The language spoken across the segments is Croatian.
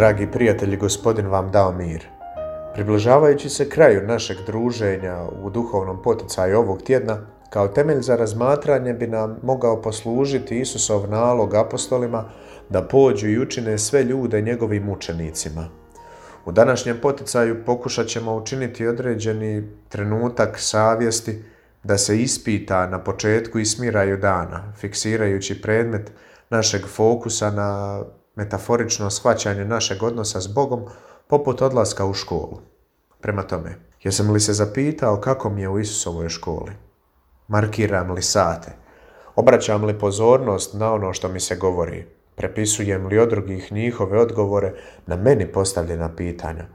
Dragi prijatelji, Gospodin vam dao mir. Približavajući se kraju našeg druženja u duhovnom poticaju ovog tjedna, kao temelj za razmatranje bi nam mogao poslužiti Isusov nalog apostolima da pođu i učine sve ljude njegovim učenicima. U današnjem poticaju pokušat ćemo učiniti određeni trenutak savjesti da se ispita na početku i smiraju dana, fiksirajući predmet našeg fokusa na metaforično shvaćanje našeg odnosa s Bogom poput odlaska u školu. Prema tome, jesam li se zapitao kako mi je u Isusovoj školi? Markiram li sate? Obraćam li pozornost na ono što mi se govori? Prepisujem li od drugih njihove odgovore na meni postavljena pitanja?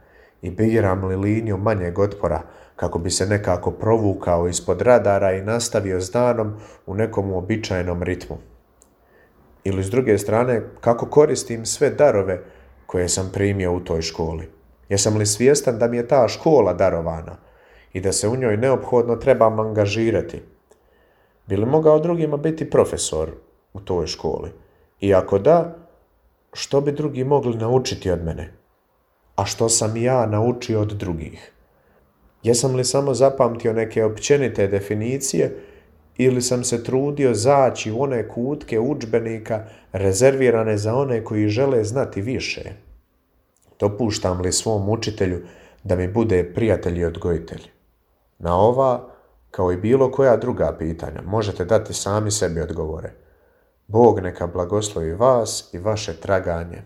I biram li liniju manjeg otpora kako bi se nekako provukao ispod radara i nastavio s danom u nekom uobičajenom ritmu? Ili s druge strane, kako koristim sve darove koje sam primio u toj školi? Jesam li svjestan da mi je ta škola darovana i da se u njoj neophodno trebam angažirati? Bi li mogao drugima biti profesor u toj školi? I ako da, što bi drugi mogli naučiti od mene? A što sam ja naučio od drugih? Jesam li samo zapamtio neke općenite definicije ili sam se trudio zaći u one kutke udžbenika rezervirane za one koji žele znati više? Dopuštam li svom učitelju da mi bude prijatelj i odgojitelj? Na ova, kao i bilo koja druga pitanja, možete dati sami sebi odgovore. Bog neka blagoslovi vas i vaše traganje.